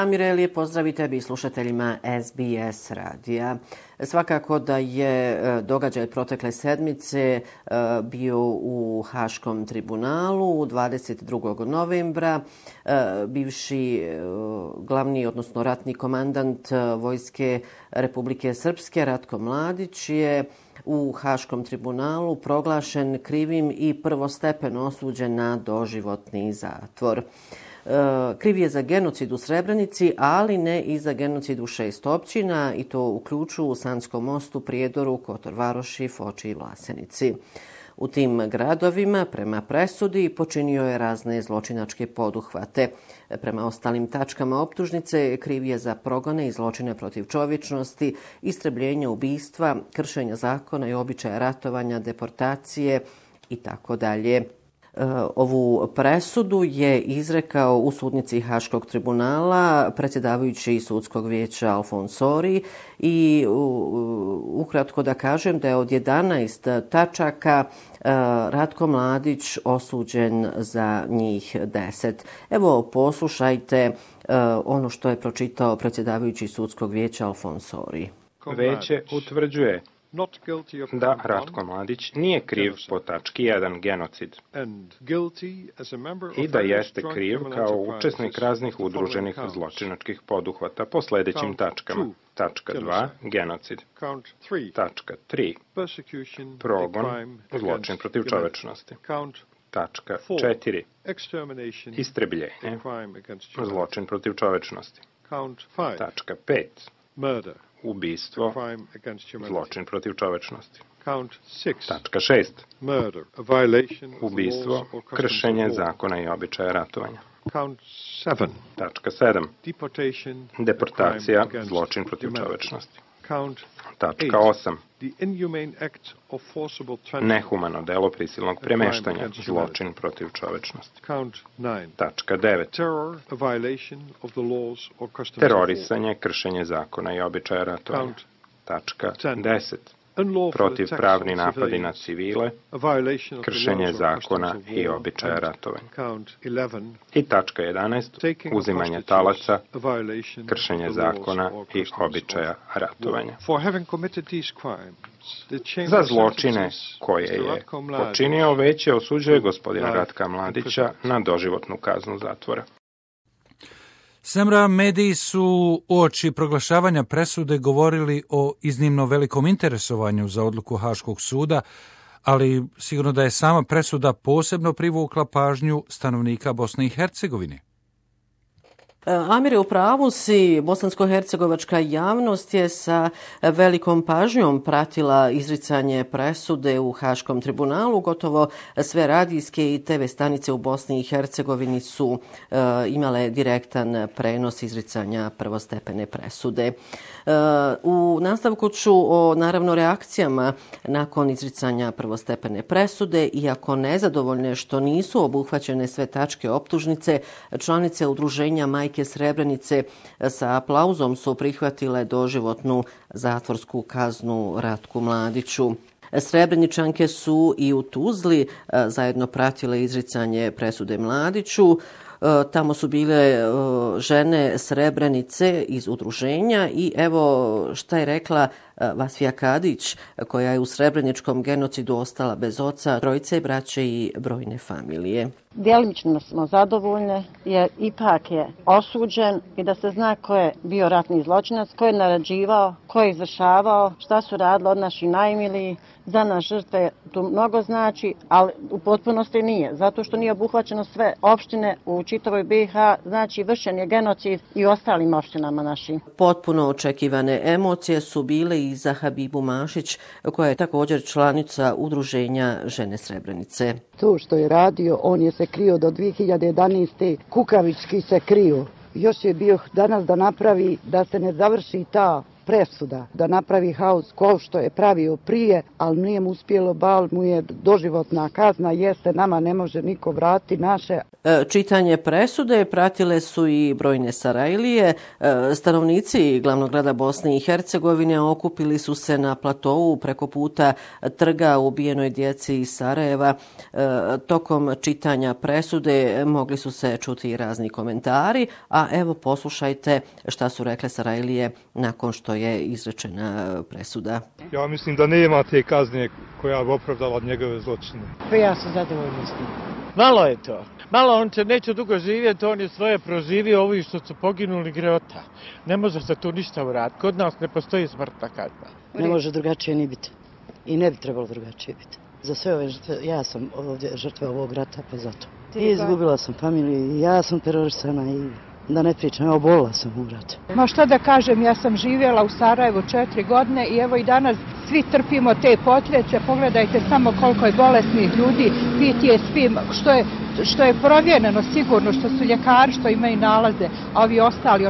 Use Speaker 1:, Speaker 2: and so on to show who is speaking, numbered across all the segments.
Speaker 1: Amire, lijep pozdrav i tebi slušateljima SBS radija. Svakako da je događaj protekle sedmice bio u Haškom tribunalu 22. novembra. Bivši glavni, odnosno ratni komandant Vojske Republike Srpske Ratko Mladić je u Haškom tribunalu proglašen krivim i prvostepeno osuđen na doživotni zatvor. Kriv je za genocid u Srebrenici, ali ne i za genocid u 6 općina, i to u Ključu, Sanskom Mostu, Prijedoru, Kotor Varoši, Foči i Vlasenici. U tim gradovima, prema presudi, počinio je razne zločinačke poduhvate. Prema ostalim tačkama optužnice, kriv je za progone i zločine protiv čovječnosti, istrebljenja, ubistva, kršenja zakona i običaja ratovanja, deportacije i tako dalje. Ovu presudu je izrekao u sudnici Haškog tribunala predsjedavajući sudskog vijeća Alfonsori i ukratko da kažem da je od 11 tačaka Ratko Mladić osuđen za njih 10. Evo, poslušajte ono što je pročitao predsjedavajući sudskog vijeća Alfonsori.
Speaker 2: Veće utvrđuje da Ratko Mladić nije kriv po tački 1 genocid i da jeste kriv kao učesnik raznih udruženih zločinačkih poduhvata po sljedećim tačkama. Tačka 2 genocid. Tačka 3 progon, zločin protiv čovečnosti. Tačka 4 istrebljenje, zločin protiv čovečnosti. Tačka 5 ubistvo, zločin protiv čovečnosti. Tačka 6 ubistvo, kršenje zakona i običaja ratovanja. Tačka 7 deportacija, zločin protiv čovečnosti. Tačka 8 nehumano delo prisilnog premeštanja, zločin protiv čovečnosti. Tačka 9 terorisanje, kršenje zakona i običaja ratovanja. Tačka 10 protivpravni napadi na civile, kršenje zakona i običaja ratovanja. I tačka 11 uzimanje talaca, kršenje zakona i običaja ratovanja. Za zločine koje je počinio veće osuđuje gospodina Ratka Mladića na doživotnu kaznu zatvora.
Speaker 3: Semra, mediji su uoči proglašavanja presude govorili o iznimno velikom interesovanju za odluku Haškog suda, ali sigurno da je sama presuda posebno privukla pažnju stanovnika Bosne i Hercegovine.
Speaker 1: Amire, u pravu si, bosansko-hercegovačka javnost je sa velikom pažnjom pratila izricanje presude u Haškom tribunalu. Gotovo sve radijske i TV stanice u Bosni i Hercegovini su imale direktan prenos izricanja prvostepene presude. U nastavku ću o naravno reakcijama nakon izricanja prvostepene presude. Iako nezadovoljne što nisu obuhvaćene sve tačke optužnice, članice udruženja Majke Srebrenice sa aplauzom su prihvatile doživotnu zatvorsku kaznu Ratku Mladiću. Srebreničanke su i u Tuzli zajedno pratile izricanje presude Mladiću. Tamo su bile žene Srebrenice iz udruženja i evo šta je rekla Vasfija Kadić, koja je u srebreničkom genocidu ostala bez oca, trojice braće i brojne familije.
Speaker 4: Djelimično smo zadovoljne jer ipak je osuđen i da se zna ko je bio ratni zločinac, ko je naređivao, ko je izvršavao, šta su radili od naših najmilijih. Za nas žrtve tu mnogo znači, ali u potpunosti nije, zato što nije obuhvaćeno sve opštine u čitavoj BiH, znači vršen je genocid i u ostalim opštinama našim.
Speaker 1: Potpuno očekivane emocije su bile i za Habibu Mašić, koja je također članica udruženja Žene Srebrenice.
Speaker 5: To što je radio, on je se krio do 2011. Kukavički se krio. Još je bio danas da napravi da se ne završi ta presuda da napravi haos kao što je pravio prije, ali nije mu uspjelo, bal mu je doživotna kazna, jeste, nama ne može niko vratiti naše.
Speaker 1: Čitanje presude pratile su i brojne Sarajlije. Stanovnici glavnog grada Bosne i Hercegovine okupili su se na platovu preko puta trga ubijenoj djeci iz Sarajeva. Tokom čitanja presude mogli su se čuti i razni komentari, a evo poslušajte šta su rekle Sarajlije nakon što je izrečena presuda.
Speaker 6: Ja mislim da nema te kazne koja bi opravdala njegove zločine.
Speaker 7: Pa ja sam zadovoljna s tim.
Speaker 8: Malo je to. Malo, on će neće dugo živjeti, on je svoje proživio, ovi što su poginuli greota. Ne može se tu ništa uraditi. Kod nas ne postoji smrtna kazna.
Speaker 7: Ne može drugačije ni biti. I ne bi trebalo drugačije biti. Za sve ove žrtve, ja sam ovdje žrtva ovog rata, pa zato. I izgubila sam familiju, ja sam terorisana i da ne pričam, obolila sam u ratu.
Speaker 9: Ma što da kažem, ja sam živjela u Sarajevu 4 godine i evo i danas svi trpimo te posljedice. Pogledajte samo koliko je bolesnih ljudi, PTSD, što je provjereno sigurno, što su ljekari, što imaju nalaze, a ovi ostali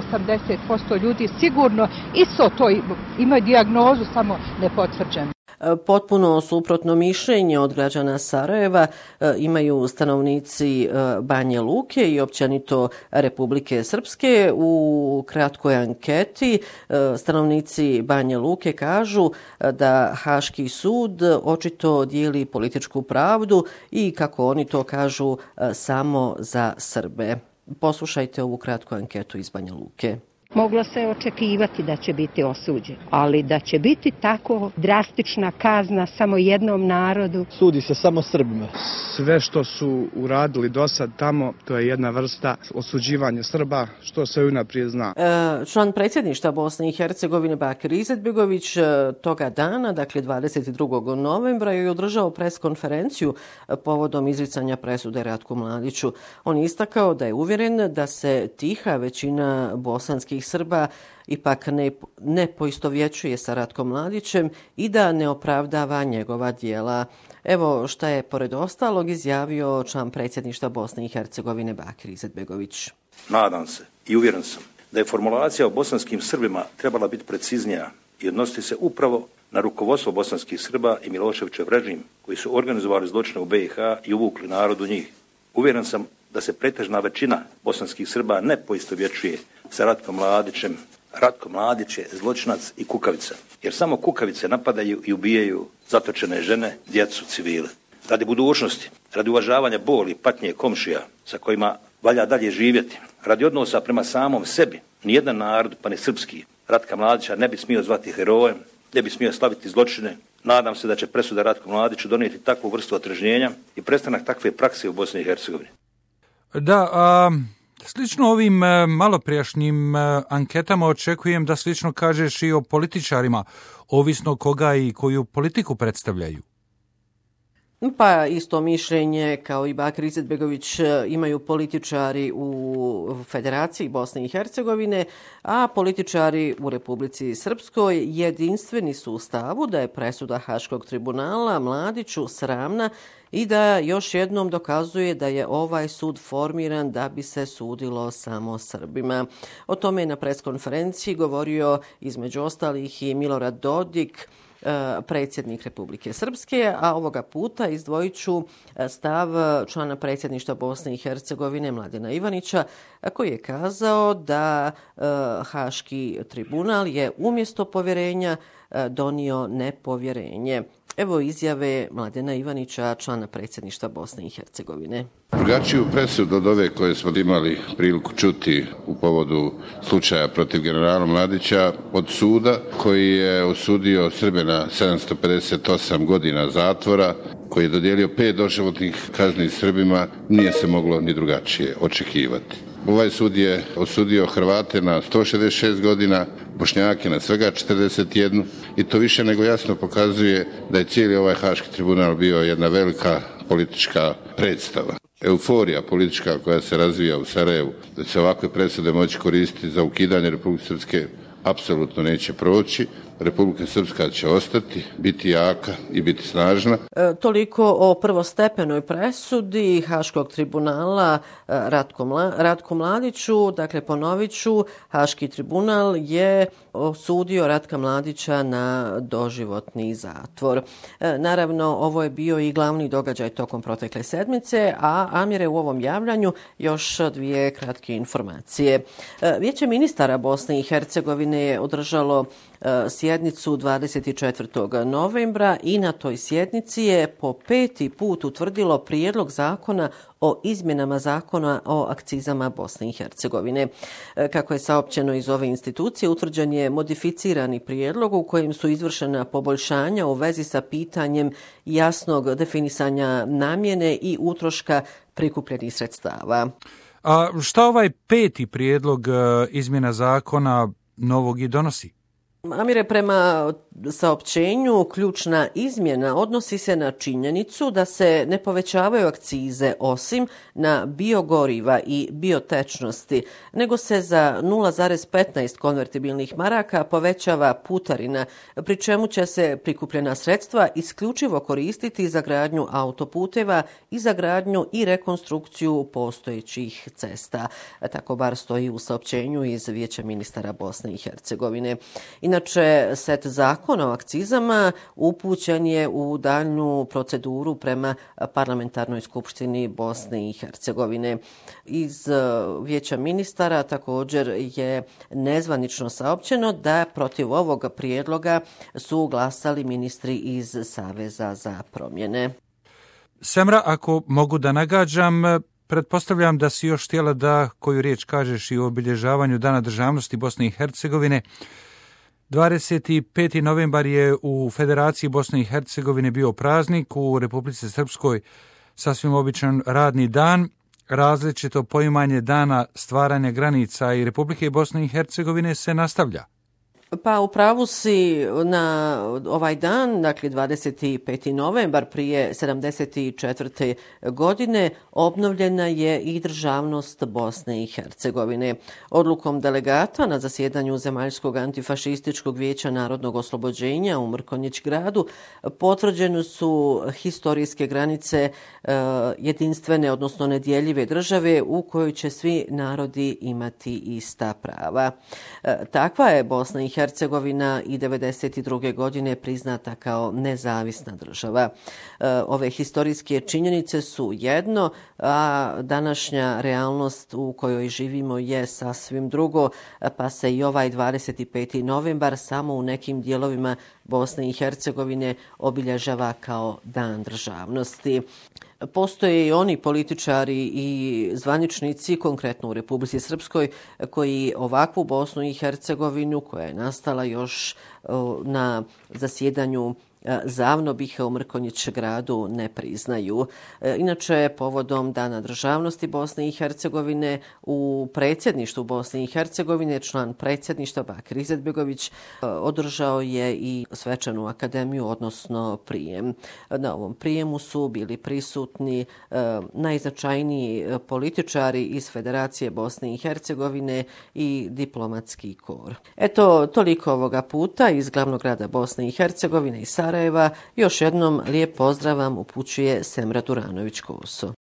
Speaker 9: 80% ljudi sigurno isto to imaju dijagnozu, samo nepotvrđenu.
Speaker 1: Potpuno suprotno mišljenje od građana Sarajeva imaju stanovnici Banje Luke i općenito Republike Srpske. U kratkoj anketi stanovnici Banje Luke kažu da Haški sud očito dijeli političku pravdu i, kako oni to kažu, samo za Srbe. Poslušajte ovu kratku anketu iz Banja Luke.
Speaker 10: Moglo se očekivati da će biti osuđen, ali da će biti tako drastična kazna samo jednom narodu.
Speaker 11: Sudi se samo Srbima.
Speaker 12: Sve što su uradili do sad tamo, to je jedna vrsta osuđivanja Srba, što se unaprijed zna.
Speaker 1: Član predsjedništva Bosne i Hercegovine Bakir Izetbegović toga dana, dakle 22. novembra, je održao preskonferenciju povodom izricanja presude Ratku Mladiću. On je istakao da je uvjeren da se tiha većina bosanskih Srba ipak ne poistovjećuje sa Ratkom Mladićem i da ne opravdava njegova djela. Evo šta je pored ostalog izjavio član predsjedništva Bosne i Hercegovine Bakir Izetbegović.
Speaker 13: Nadam se i uvjeren sam da je formulacija o bosanskim Srbima trebala biti preciznija i odnositi se upravo na rukovodstvo bosanskih Srba i Miloševićev režim koji su organizovali zločine u BiH i uvukli narod u njih. Uvjeren sam da se pretežna većina bosanskih Srba ne poistovjećuje sa Ratkom Mladićem. Ratko Mladić je zločinac i kukavica, jer samo kukavice napadaju i ubijaju zatočene žene, djecu, civile. Radi budućnosti, radi uvažavanja boli i patnje komšija sa kojima valja dalje živjeti, radi odnosa prema samom sebi, nijedan narod, pa ni srpski, Ratka Mladića ne bi smio zvati herojem, ne bi smio slaviti zločine. Nadam se da će presuda Ratku Mladiću donijeti takvu vrstu otrežnjenja i prestanak takve prakse u Bosni i Hercegovini.
Speaker 3: Da, slično ovim maloprijašnjim anketama očekujem da slično kažeš i o političarima, ovisno koga i koju politiku predstavljaju.
Speaker 1: Pa isto mišljenje kao i Bakir Izetbegović imaju političari u Federaciji Bosne i Hercegovine, a političari u Republici Srpskoj jedinstveni su u stavu da je presuda Haškog tribunala Mladiću sramna i da još jednom dokazuje da je ovaj sud formiran da bi se sudilo samo Srbima. O tome je na preskonferenciji govorio između ostalih i Milorad Dodik, predsjednik Republike Srpske, a ovoga puta izdvojit ću stav člana predsjedništva Bosne i Hercegovine Mladena Ivanića, koji je kazao da Haški tribunal je umjesto povjerenja donio nepovjerenje. Evo izjave Mladena Ivanića, člana predsjedništva Bosne i Hercegovine.
Speaker 14: Drugačiju presudu od ove koje smo imali priliku čuti u povodu slučaja protiv generala Mladića od suda, koji je osudio Srbe na 758 godina zatvora, koji je dodijelio 5 doživotnih kazni Srbima, nije se moglo ni drugačije očekivati. Ovaj sud je osudio Hrvate na 166 godina, Bošnjake na svega 41 i to više nego jasno pokazuje da je cijeli ovaj Haški tribunal bio jedna velika politička predstava. Euforija politička koja se razvija u Sarajevu, da će ovakve presude moći koristiti za ukidanje Republike Srpske, apsolutno neće proći. Republika Srpska će ostati, biti jaka i biti snažna.
Speaker 1: Toliko o prvostepenoj presudi Haškog tribunala Ratku Mladiću. Dakle, ponovit ću, Haški tribunal je osudio Ratka Mladića na doživotni zatvor. Naravno, ovo je bio i glavni događaj tokom protekle sedmice, a Amire, u ovom javljanju još dvije kratke informacije. Vijeće ministara Bosne i Hercegovine je održalo sjednicu 24. novembra i na toj sjednici je po 5. put utvrdilo prijedlog zakona o izmjenama zakona o akcizama Bosne i Hercegovine. Kako je saopćeno iz ove institucije, utvrđen je modificirani prijedlog u kojem su izvršena poboljšanja u vezi sa pitanjem jasnog definisanja namjene i utroška prikupljenih sredstava.
Speaker 3: A šta ovaj 5. prijedlog izmjena zakona novog i donosi?
Speaker 1: Amire, prema saopćenju, ključna izmjena odnosi se na činjenicu da se ne povećavaju akcize osim na biogoriva i biotečnosti, nego se za 0,15 konvertibilnih maraka povećava putarina, pri čemu će se prikupljena sredstva isključivo koristiti za gradnju autoputeva i za gradnju i rekonstrukciju postojećih cesta. Tako bar stoji u saopćenju iz Vijeća ministara Bosne i Hercegovine. Inače, set zakona o akcizama upućen je u daljnju proceduru prema Parlamentarnoj skupštini Bosne i Hercegovine. Iz Vijeća ministara također je nezvanično saopćeno da protiv ovog prijedloga su glasali ministri iz Saveza za promjene.
Speaker 3: Semra, ako mogu da nagađam, pretpostavljam da si još htjela da koju riječ kažeš i o obilježavanju Dana državnosti Bosne i Hercegovine. 25. novembar je u Federaciji Bosne i Hercegovine bio praznik, u Republici Srpskoj sasvim običan radni dan. Različito poimanje dana stvaranja granica i Republike Bosne i Hercegovine se nastavlja.
Speaker 1: Pa u pravu si, na ovaj dan, dakle 25. novembar prije 74. godine, obnovljena je i državnost Bosne i Hercegovine. Odlukom delegata na zasjedanju Zemaljskog antifašističkog vijeća narodnog oslobođenja u Mrkonjić gradu potvrđene su historijske granice jedinstvene, odnosno nedjeljive države u kojoj će svi narodi imati ista prava. Takva je Bosna i Hercegovina i 1992. godine priznata kao nezavisna država. Ove historijske činjenice su jedno, a današnja realnost u kojoj živimo je sasvim drugo, pa se i ovaj 25. novembar samo u nekim dijelovima Bosne i Hercegovine obilježava kao Dan državnosti. Postoje i oni političari i zvaničnici, konkretno u Republici Srpskoj, koji ovakvu Bosnu i Hercegovinu, koja je nastala još na zasjedanju Zavnobiha u Mrkonjić gradu, ne priznaju. Inače, povodom Dana državnosti Bosne i Hercegovine u predsjedništvu Bosne i Hercegovine član predsjedništva Bakir Izetbegović održao je i svečanu akademiju, odnosno prijem. Na ovom prijemu su bili prisutni najznačajniji političari iz Federacije Bosne i Hercegovine i diplomatski kor. Eto, toliko ovoga puta iz glavnog grada Bosne i Hercegovine i Sarajeva. Još jednom lijep pozdrav vam upućuje Semra Duranović-Koso.